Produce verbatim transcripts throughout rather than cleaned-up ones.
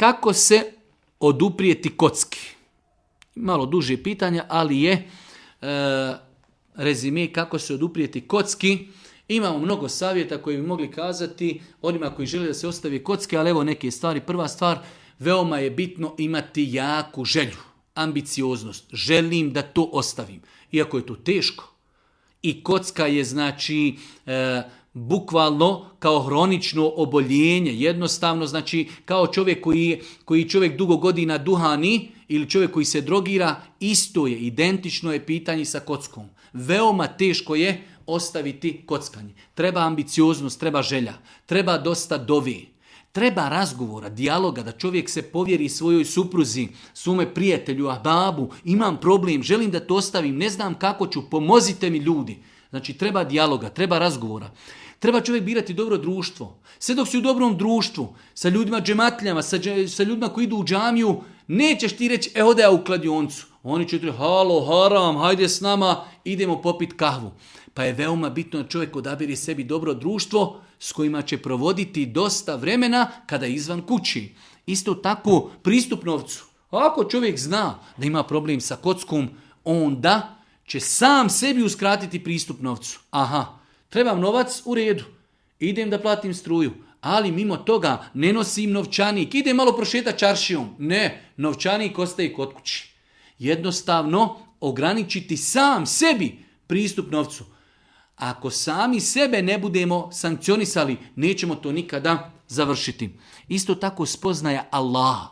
kako se oduprijeti kocki? Malo duže pitanja, ali je e, rezime kako se oduprijeti kocki. Imamo mnogo savjeta koji bi mogli kazati onima koji žele da se ostavi kocke, ali evo neke stvari. Prva stvar, veoma je bitno imati jaku želju, ambicioznost. Želim da to ostavim. Iako je to teško. I kocka je znači e, bukvalno kao hronično oboljenje. Jednostavno znači kao čovjek koji, koji čovjek dugo godina duhani ili čovjek koji se drogira, isto je, identično je pitanje sa kockom. Veoma teško je ostaviti kockanje. Treba ambicioznost, treba želja, treba dosta dovi, treba razgovora, dijaloga, da čovjek se povjeri svojoj supruzi, svome prijatelju, ahbabu, imam problem, želim da to ostavim, ne znam kako ću, pomozite mi ljudi. Znači treba dijaloga, treba razgovora. Treba čovjek birati dobro društvo. Sve dok si u dobrom društvu, sa ljudima džematljama, sa, sa ljudima koji idu u džamiju, nećeš ti reći, e ode ja u kladioncu. Oni će ti reći, halo, haram, hajde s nama, idemo popit kahvu. Pa je veoma bitno da čovjek odabiri sebi dobro društvo s kojima će provoditi dosta vremena kada je izvan kući. Isto tako pristup novcu. Ako čovjek zna da ima problem sa kockom, onda će sam sebi uskratiti pristup novcu. Aha, trebam novac, u redu, idem da platim struju, ali mimo toga ne nosim novčanik, idem malo prošetati čaršijom. Ne, novčanik ostaje kod kući. Jednostavno ograničiti sam sebi pristup novcu. Ako sami sebe ne budemo sankcionisali, nećemo to nikada završiti. Isto tako spoznaja Allaha.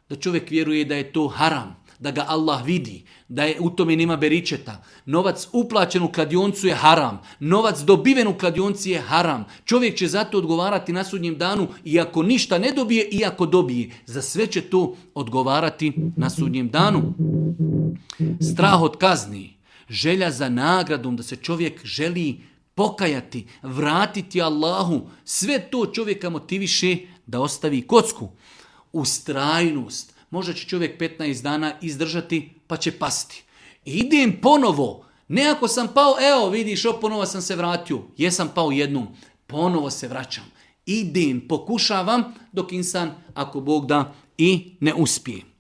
Da čovjek vjeruje da je to haram, da ga Allah vidi, da je u tome nema beričeta. Novac uplaćen u kladioncu je haram. Novac dobiven u kladionci je haram. Čovjek će zato odgovarati na sudnjem danu, iako ništa ne dobije, iako dobije. Za sve će to odgovarati na sudnjem danu. Strah od kazni. Želja za nagradom, da se čovjek želi pokajati, vratiti Allahu, sve to čovjeka motiviše da ostavi kocku. Ustrajnost. Možda će čovjek petnaest dana izdržati, pa će pasti. Idem ponovo. Ne ako sam pao, evo vidiš, ponovo sam se vratio. Jesam pao jednom, ponovo se vraćam. Idem, pokušavam, dok insan, ako Bog da, i ne uspije.